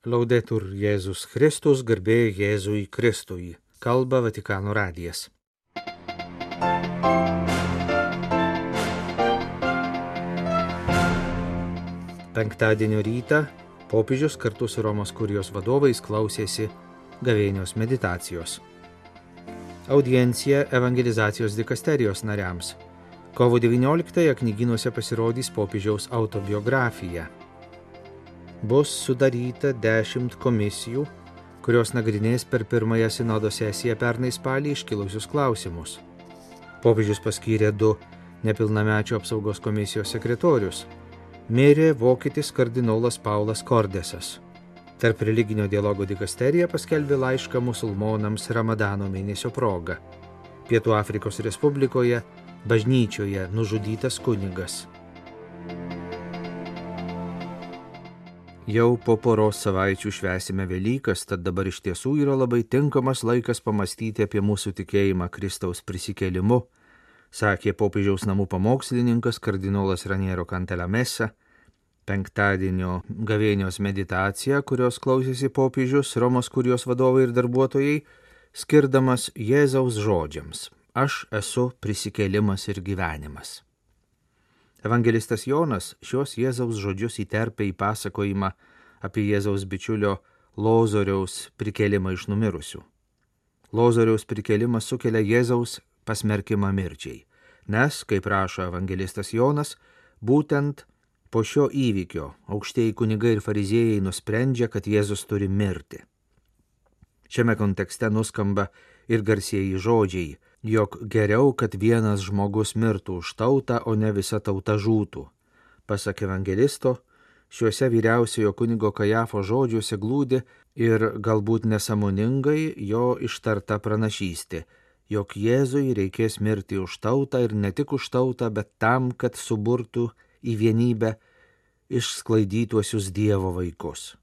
Laudetur Jėzus Kristus, garbė Jėzui Kristui. Kalba Vatikano radijas. Penktadienio rytą popiežius kartu su Romos kurijos vadovais klausėsi gavėnios meditacijos. Audiencija evangelizacijos dikasterijos nariams. Kovo 19-ąją knygynuose pasirodys popiežiaus autobiografija. Bus sudaryta 10 komisijų, kurios nagrinės per pirmąją sinodo sesiją pernai spalį iškilusius klausimus. Popiežius paskyrė 2 nepilnamečių apsaugos komisijos sekretorius. Mirė vokietis kardinolas Paulas Kordesas. Tarp religinio dialogo dikasterija paskelbė laišką musulmonams Ramadano mėnesio proga. Pietų Afrikos Respublikoje bažnyčioje nužudytas kunigas. Jau po poros savaičių švęsime Velykas, tad dabar iš tiesų yra labai tinkamas laikas pamastyti apie mūsų tikėjimą Kristaus prisikėlimu, sakė popiežiaus namų pamokslininkas kardinolas Raniero Cantalamessa. Penktadienio gavėnios meditacija, kurios klausėsi popiežius, Romos kurijos vadovai ir darbuotojai, skirdamas Jėzaus žodžiams: Aš esu prisikėlimas ir gyvenimas. Evangelistas Jonas šios Jėzaus žodžius įterpia į pasakojimą apie Jėzaus bičiulio Lozoriaus prikėlimą iš numirusių. Lozoriaus prikėlimas sukelia Jėzaus pasmerkimą mirčiai, nes, kaip rašo evangelistas Jonas, būtent po šio įvykio aukštieji kunigai ir fariziejai nusprendžia, kad Jėzus turi mirti. Šiame kontekste nuskamba ir garsieji žodžiai, jog geriau, kad vienas žmogus mirtų už tautą, o ne visa tauta žūtų. Pasak evangelisto, šiuose vyriausiojo kunigo Kajafo žodžiuose glūdi ir galbūt nesąmoningai jo ištarta pranašystė, jog Jėzui reikės mirti už tautą ir ne tik už tautą, bet tam, kad suburtų į vienybę išsklaidytuosius Dievo vaikus.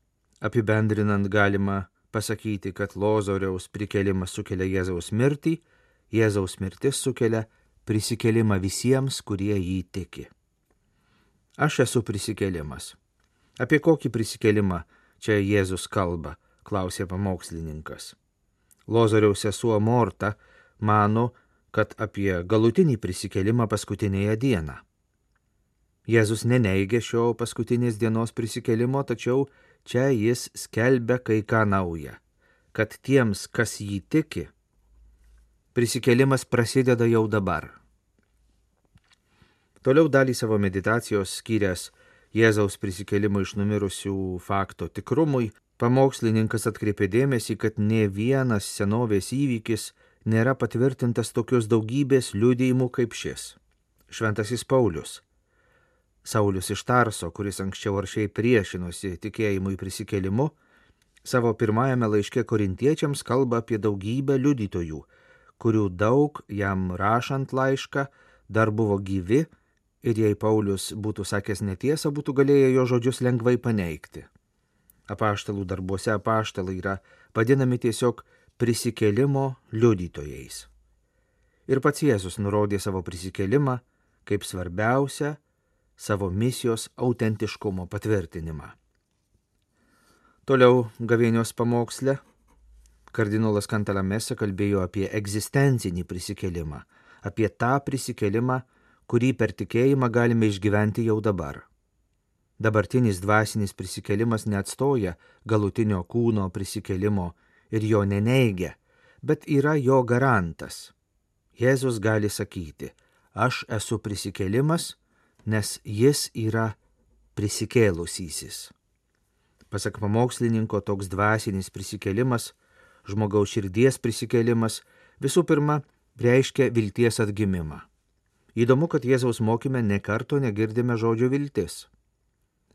Apibendrinant galima pasakyti, kad Lozoriaus prikėlimas sukelia Jėzaus mirtį, Jėzaus mirtis sukelia prisikėlimą visiems, kurie jį tiki. Aš esu prisikėlimas. Apie kokį prisikėlimą čia Jėzus kalba, klausė pamokslininkas. Lozoriaus sesuo Morta mano, kad apie galutinį prisikėlimą paskutinėje dieną. Jėzus neneigia šio paskutinės dienos prisikėlimo, tačiau čia jis skelbia kai ką naują, kad tiems, kas jį tiki, prisikėlimas prasideda jau dabar. Toliau dalį savo meditacijos skyręs Jėzaus prisikėlimo iš numirusių fakto tikrumui, pamokslininkas atkreipė dėmesį, kad nė vienas senovės įvykis nėra patvirtintas tokios daugybės liudijimų kaip šis. Šventasis Paulius, Saulius iš Tarso, kuris anksčiau aršiai priešinosi tikėjimui prisikėlimu, savo pirmajame laiške korintiečiams kalba apie daugybę liudytojų, kurių daug jam rašant laišką dar buvo gyvi ir jei Paulius būtų sakęs netiesą, būtų galėję jo žodžius lengvai paneigti. Apaštalų darbuose apaštalai yra vadinami tiesiog prisikėlimo liudytojais. Ir pats Jėzus nurodė savo prisikėlimą kaip svarbiausią savo misijos autentiškumo patvirtinimą. Toliau gavėnios pamoksle kardinolas Cantalamessa kalbėjo apie egzistencinį prisikėlimą, apie tą prisikėlimą, kurį per tikėjimą galime išgyventi jau dabar. Dabartinis dvasinis prisikėlimas neatstoja galutinio kūno prisikėlimo ir jo neneigia, bet yra jo garantas. Jėzus gali sakyti: Aš esu prisikėlimas, nes jis yra prisikėlusysis. Pasak pamokslininko, toks dvasinis prisikėlimas, žmogaus širdies prisikėlimas, visų pirma, reiškia vilties atgimimą. Įdomu, kad Jėzaus mokyme nė karto negirdime žodžio viltis.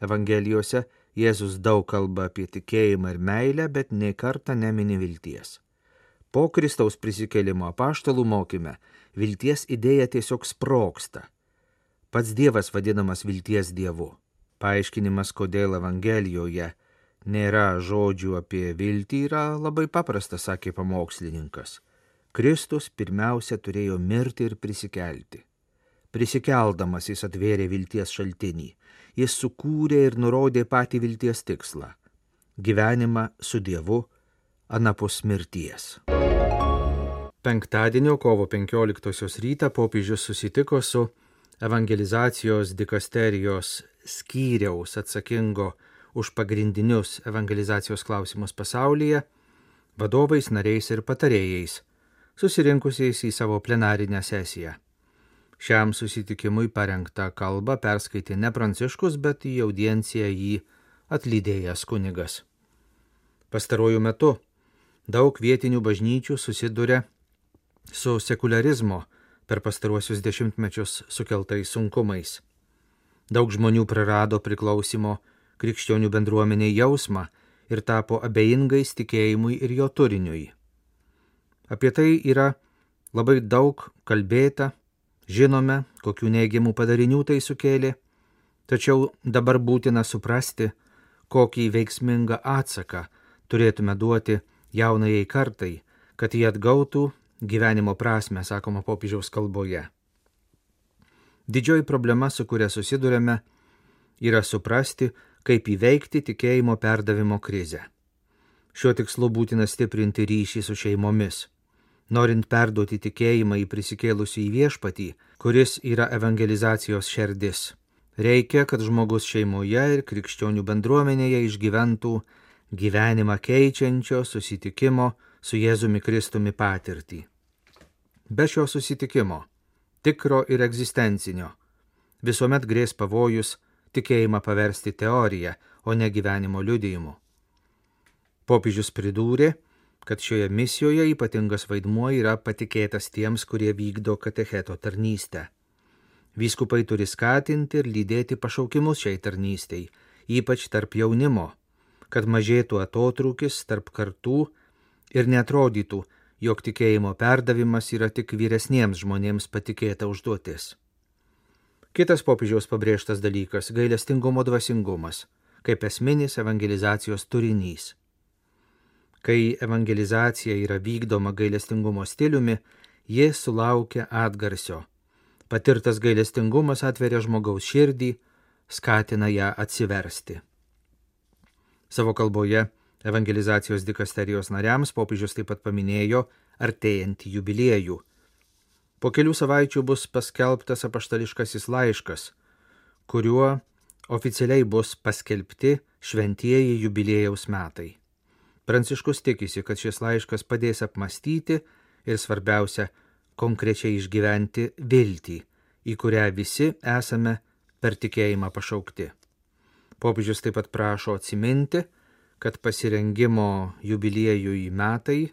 Evangelijose Jėzus daug kalba apie tikėjimą ir meilę, bet nė kartą nemini vilties. Po Kristaus prisikėlimo apaštalų mokyme vilties idėja tiesiog sprogsta. Pats Dievas vadinamas vilties Dievu. Paaiškinimas, kodėl Evangelijoje nėra žodžių apie viltį, yra labai paprastas, sakė pamokslininkas. Kristus pirmiausia turėjo mirti ir prisikelti. Prisikeldamas jis atvėrė vilties šaltinį. Jis sukūrė ir nurodė patį vilties tikslą. gyvenimą su Dievu anapus mirties. Penktadienio kovo 15 rytą popiežius susitiko su evangelizacijos dikasterijos skyriaus atsakingo už pagrindinius evangelizacijos klausimus pasaulyje vadovais, nariais ir patarėjais, susirinkusiais į savo plenarinę sesiją. Šiam susitikimui parengtą kalbą perskaitė ne Pranciškus, bet į audienciją jį atlydėjęs kunigas. Pastaruoju metu daug vietinių bažnyčių susiduria su sekularizmo per pastaruosius dešimtmečius sukeltais sunkumais. Daug žmonių prarado priklausimo krikščionių bendruomeniai jausmą ir tapo abejingais tikėjimui ir jo turiniui. Apie tai yra labai daug kalbėta, žinome, kokių neigiamų padarinių tai sukėlė, tačiau dabar būtina suprasti, kokį veiksmingą atsaką turėtume duoti jaunajai kartai, kad jie atgautų gyvenimo prasmę, sakoma popiežiaus kalboje. Didžioji problema, su kuria susidurėme, yra suprasti, kaip įveikti tikėjimo perdavimo krizę. Šiuo tikslu būtina stiprinti ryšį su šeimomis. Norint perduoti tikėjimą į prisikėlusį į viešpatį, kuris yra evangelizacijos šerdis, reikia, kad žmogus šeimoje ir krikščionių bendruomenėje išgyventų gyvenimą keičiančio susitikimo su Jėzumi Kristumi patirtį. Be šio susitikimo, tikro ir egzistencinio, visuomet grės pavojus tikėjimą paversti teoriją, o ne gyvenimo liudijimu. Popiežius pridūrė, kad šioje misijoje ypatingas vaidmuo yra patikėtas tiems, kurie vykdo katecheto tarnystę. Vyskupai turi skatinti ir lydėti pašaukimus šiai tarnystei, ypač tarp jaunimo, kad mažėtų atotrūkis tarp kartų ir neatrodytų, jog tikėjimo perdavimas yra tik vyresniems žmonėms patikėta užduotis. Kitas popiežiaus pabrėžtas dalykas – gailestingumo dvasingumas, kaip esminis evangelizacijos turinys. Kai evangelizacija yra vykdoma gailestingumo stiliumi, ji sulaukia atgarsio. Patirtas gailestingumas atveria žmogaus širdį, skatina ją atsiversti. Savo kalboje evangelizacijos dikasterijos nariams popiežius taip pat paminėjo artėjantį jubiliejų. Po kelių savaičių bus paskelbtas apaštališkasis laiškas, kuriuo oficialiai bus paskelbti šventieji jubiliejaus metai. Pranciškus tikisi, kad šis laiškas padės apmąstyti ir svarbiausia, konkrečiai išgyventi viltį, į kurią visi esame per tikėjimą pašaukti. Popiežius taip pat prašo atsiminti, kad pasirengimo jubiliejui metai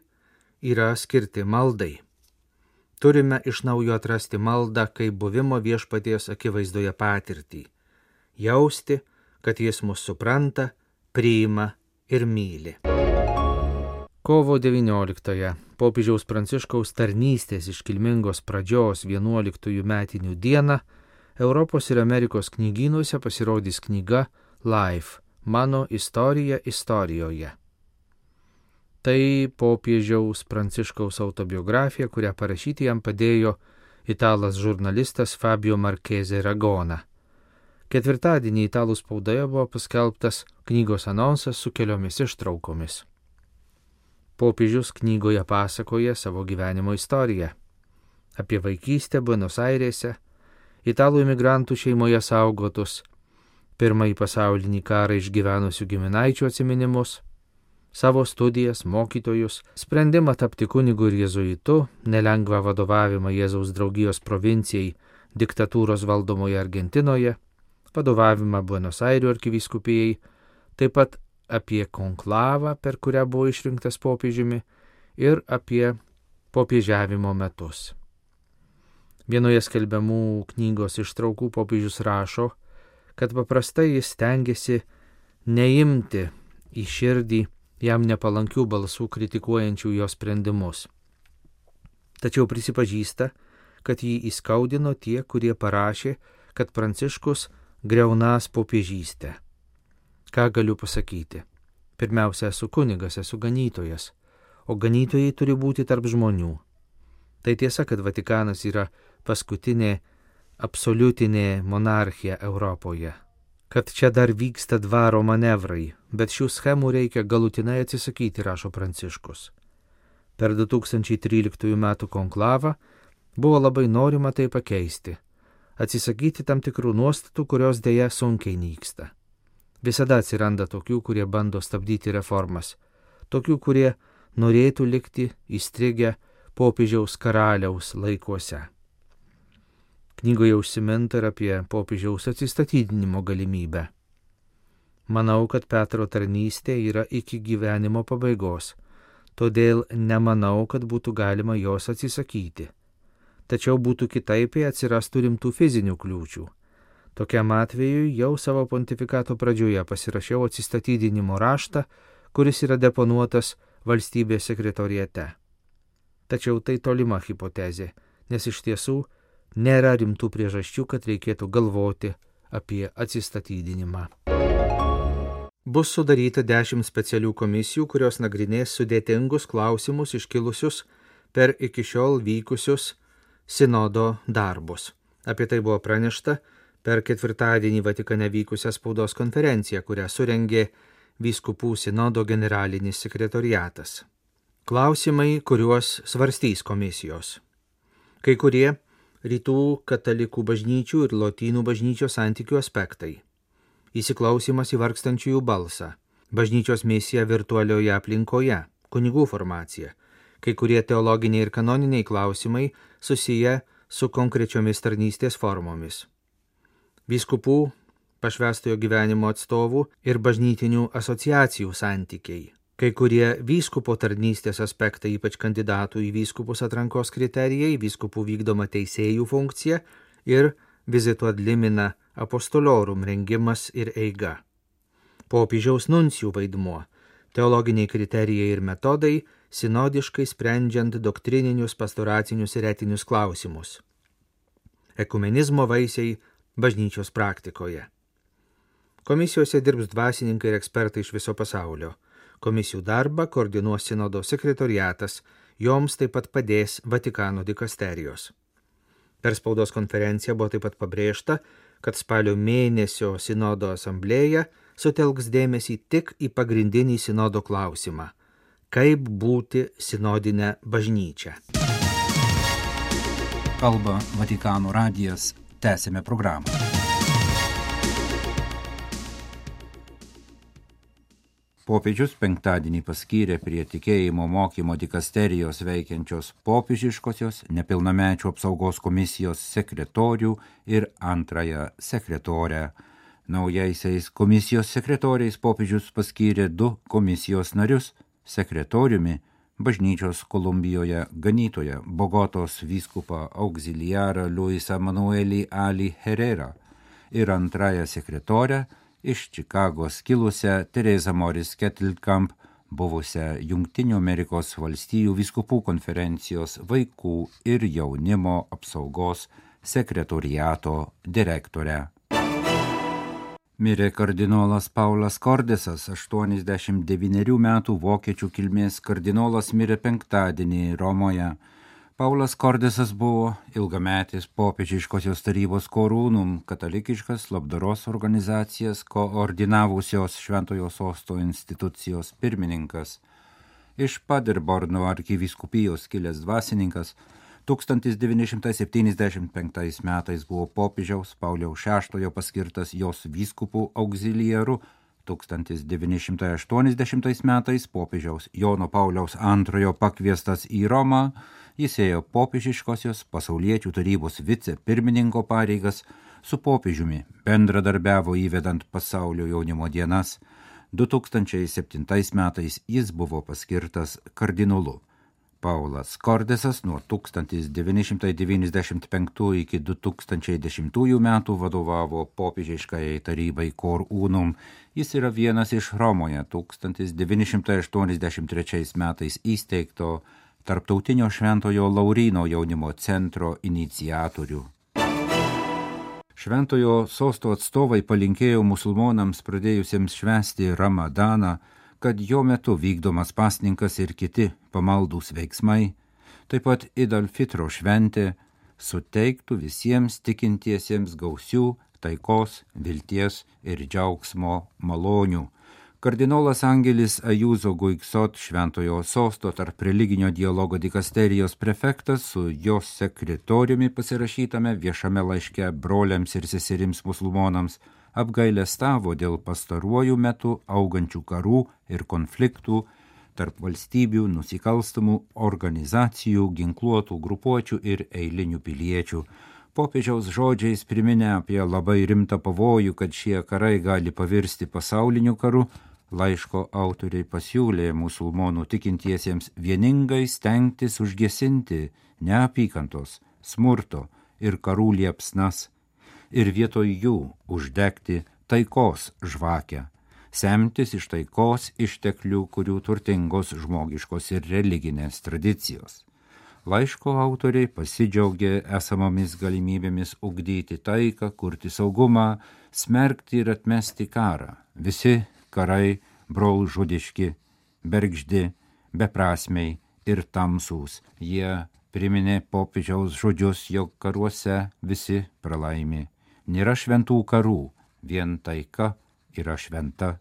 yra skirti maldai. Turime iš naujo atrasti maldą kaip buvimo viešpaties akivaizdoje patirtį, jausti, kad jis mus supranta, priima ir myli. Kovo 19-ąją popiežiaus Pranciškaus tarnystės iškilmingos pradžios 11 metinių dieną Europos ir Amerikos knygynuose pasirodys knyga Life – Mano istorija istorijoje. Tai popiežiaus Pranciškaus autobiografija, kurią parašyti jam padėjo italas žurnalistas Fabio Marchese Ragona. Ketvirtadienį italų spaudoje buvo paskelbtas knygos anonsas su keliomis ištraukomis. Popiežius knygoje pasakoja savo gyvenimo istoriją. Apie vaikystę Buenos Airėse, italų imigrantų šeimoje saugotus, pirmąjį pasaulinį karą išgyvenusių giminaičių atsiminimus, savo studijas, mokytojus, sprendimą tapti kunigu ir jėzuitu, nelengvą vadovavimą Jėzaus draugijos provincijai diktatūros valdomoje Argentinoje, vadovavimą Buenos Airių arkivyskupijai, taip pat apie konklavą, per kurią buvo išrinktas popiežiumi, ir apie popiežiavimo metus. Vienoje skelbiamų knygos ištraukų popiežius rašo, kad paprastai jis stengiasi neimti į širdį jam nepalankių balsų kritikuojančių jo sprendimus. Tačiau prisipažįsta, kad jį įskaudino tie, kurie parašė, kad Pranciškus griaunąs popiežystę. Ką galiu pasakyti? Pirmiausia, esu kunigas, esu ganytojas, o ganytojai turi būti tarp žmonių. Tai tiesa, kad Vatikanas yra paskutinė absoliutinė monarchija Europoje. kad čia dar vyksta dvaro manevrai, bet šių schemų reikia galutinai atsisakyti, rašo Pranciškus. Per 2013 metų konklavą buvo labai norima tai pakeisti, atsisakyti tam tikrų nuostatų, kurios dėja sunkiai nyksta. Visada atsiranda tokių, kurie bando stabdyti reformas, tokių, kurie norėtų likti įstrigę popiežiaus karaliaus laikuose. Knygoje užsiminta ir apie popiežiaus atsistatydinimo galimybę. Manau, kad Petro tarnystė yra iki gyvenimo pabaigos, todėl nemanau, kad būtų galima jos atsisakyti. Tačiau būtų kitaip, jei atsirastų rimtų fizinių kliūčių. Tokiam atveju jau savo pontifikato pradžioje pasirašiau atsistatydinimo raštą, kuris yra deponuotas valstybės sekretoriate. Tačiau tai tolima hipotezė, nes iš tiesų nėra rimtų priežasčių, kad reikėtų galvoti apie atsistatydinimą. Bus sudaryta 10 specialių komisijų, kurios nagrinės sudėtingus klausimus iškilusius per iki šiol vykusius sinodo darbus. Apie tai buvo pranešta per ketvirtadienį Vatikane vykusią spaudos konferenciją, kurią surengė vyskupų sinodo generalinis sekretoriatas. Klausimai, kuriuos svarstys komisijos. Kai kurie rytų katalikų bažnyčių ir lotynų bažnyčios santykių aspektai. Įsiklausimas į vargstančiųjų balsą, bažnyčios misija virtualioje aplinkoje, kunigų formacija, kai kurie teologiniai ir kanoniniai klausimai susiję su konkrečiomis tarnystės formomis. Vyskupų, pašvęstojo gyvenimo atstovų ir bažnytinių asociacijų santykiai. Kai kurie vyskupo tarnystės aspektai, ypač kandidatų į vyskupus atrankos kriterijai, vyskupų vykdoma teisėjų funkcija ir vizitų ad limina apostoliorum rengimas ir eiga. Popiežiaus nuncijų vaidmuo, teologiniai kriterijai ir metodai, sinodiškai sprendžiant doktrininius, pastoracinius ir etinius klausimus. Ekumenizmo vaisiai bažnyčios praktikoje. Komisijose dirbs dvasininkai ir ekspertai iš viso pasaulio. Komisijų darbą koordinuos sinodo sekretoriatas, joms taip pat padės Vatikano dikasterijos. Per spaudos konferenciją buvo taip pat pabrėžta, kad spalio mėnesio sinodo asamblėja sutelks dėmesį tik į pagrindinį sinodo klausimą – kaip būti sinodinę bažnyčią. Kalba Vatikano radijas, tęsime programą. Popiežius penktadienį paskyrė prie tikėjimo mokymo dikasterijos veikiančios popiežiškosios nepilnamečių apsaugos komisijos sekretorių ir antrąją sekretorę. Naujaisiais komisijos sekretoriais popiežius paskyrė 2 komisijos narius, sekretoriumi bažnyčios Kolumbijoje ganytoją Bogotos vyskupą auxiliarą Luisą Manuelį Ali Herrera ir antrąją sekretorę iš Čikagos kilusią Teresa Morris Kettlekamp, buvusią Jungtinių Amerikos valstijų vyskupų konferencijos vaikų ir jaunimo apsaugos sekretoriato direktorę. Mirė kardinolas Paulas Kordesas, 89 metų vokiečių kilmės kardinolas, mirė penktadienį Romoje. Paulas Kordesas buvo ilgametis popiežiškosios tarybos korūnum, katalikiškas labdaros organizacijas koordinavusios Šventojo Sosto institucijos pirmininkas. Iš Paderborno arkivyskupijos kilęs dvasininkas, 1975 metais buvo popiežiaus Pauliaus VI paskirtas jos vyskupų auxiliaru, 1980 metais popiežiaus Jono Pauliaus II pakviestas į Romą, jis ėjo popiežiškosios pasauliečių tarybos vicepirmininko pareigas, su popiežiumi bendradarbiavo įvedant pasaulio jaunimo dienas. 2007 metais jis buvo paskirtas kardinolu. Paulas Kordesas nuo 1995 iki 2010 metų vadovavo popiežiškai tarybai Cor Unum. Jis yra vienas iš Romoje 1983 metais įsteigto Tarptautinio Šventojo Lauryno jaunimo centro iniciatorių. Šventojo Sosto atstovai palinkėjo musulmonams pradėjusiems švęsti Ramadaną, kad jo metu vykdomas pasninkas ir kiti pamaldūs veiksmai, taip pat Id al-Fitro šventė, suteiktų visiems tikintiesiems gausių taikos, vilties ir džiaugsmo malonių. Kardinolas Angelis Ajuzo Guiksot, Šventojo Sosto tarp religinio dialogo dikasterijos prefektas, su jos sekretoriumi pasirašytame viešame laiške broliams ir seserims musulmonams, apgailestavo dėl pastaruoju metu augančių karų ir konfliktų tarp valstybių, nusikalstamų organizacijų, ginkluotų grupuočių ir eilinių piliečių. Popiežiaus žodžiais priminė apie labai rimtą pavojų, kad šie karai gali pavirsti pasauliniu karu, laiško autoriai pasiūlė musulmonų tikintiesiems vieningai stengtis užgesinti neapykantos, smurto ir karų liepsnas ir vietoj jų uždegti taikos žvakę, semtis iš taikos išteklių, kurių turtingos žmogiškos ir religinės tradicijos. Laiško autoriai pasidžiaugė esamomis galimybėmis ugdyti taiką, kurti saugumą, smerkti ir atmesti karą. Visi karai brolžudiški, bergždi, beprasmiai ir tamsūs. Jie priminė popiežiaus žodžius, jog karuose visi pralaimi. Nėra šventų karų, vien taika yra šventa.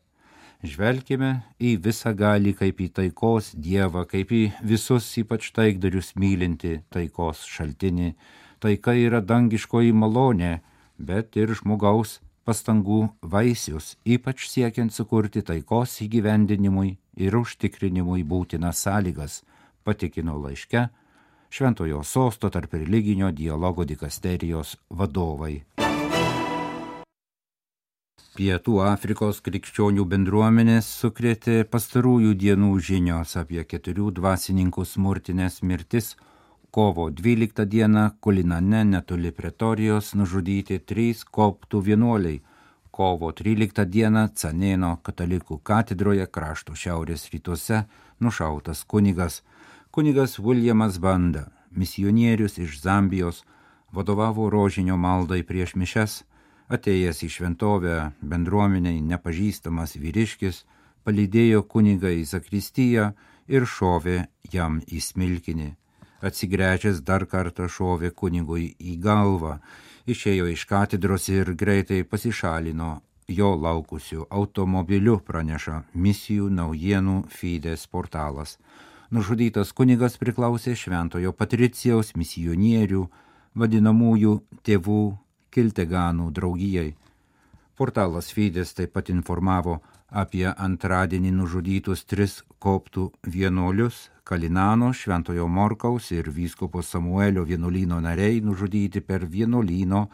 Žvelkime į visą galį kaip į taikos dievą, kaip į visus ypač taikdarius mylinti taikos šaltinį. Taika yra dangiškoji malonė, bet ir žmogaus pastangų vaisius, ypač siekiant sukurti taikos įgyvendinimui ir užtikrinimui būtinas sąlygas, patikino laiške Šventojo Sosto tarp religinio dialogo dikasterijos vadovai. Pietų Afrikos krikščionių bendruomenės sukrėtė pastarųjų dienų žinios apie 4 dvasininkų smurtinės mirtis. Kovo 12 dieną Kulinane netoli Pretorijos nužudyti 3 koptų vienuoliai. Kovo 13 dieną Canėno katalikų katedroje krašto šiaurės rytuose nušautas kunigas. Kunigas Williamas Banda, misionierius iš Zambijos, vadovavo rožinio maldai prieš mišes. Atėjęs į šventovę bendruomeniai nepažįstamas vyriškis palydėjo kunigą į zakristiją ir šovė jam į smilkinį. Atsigręžęs dar kartą šovė kunigui į galvą, išėjo iš katedros ir greitai pasišalino jo laukusiu automobiliu, praneša Misijų naujienų Fides portalas. Nužudytas kunigas priklausė Šventojo Patricijaus misionierių, vadinamųjų tėvų Kilteganų draugijai. Portalas Fides taip pat informavo apie antradienį nužudytus 3 koptų vienuolius, Kalinano, Šventojo Morkaus ir vyskupo Samuelio vienuolyno nariai nužudyti per vienuolyno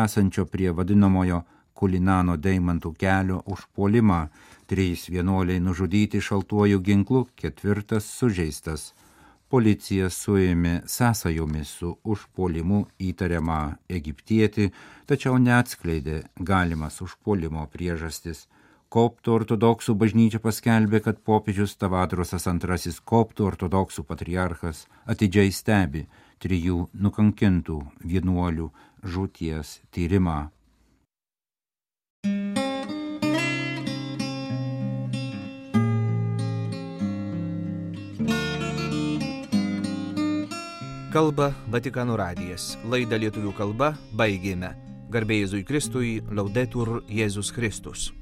esančio prie vadinamojo Kulinano deimantų kelio užpuolimą. 3 vienuoliai nužudyti šaltuoju ginklu, 4 sužeistas. Policija suėmė sąsajomis su užpuolimu įtariamą egiptietį, tačiau neatskleidė galimas užpuolimo priežastis. Koptų ortodoksų bažnyčia paskelbė, kad popiežius Tavadrosas II koptų ortodoksų patriarchas atidžiai stebi 3 nukankintų vienuolių žūties tyrimą. Kalba Vatikano radijas. Laidą lietuvių kalba baigėme. Garbė Jėzui Kristui, Laudetur Jėzus Kristus.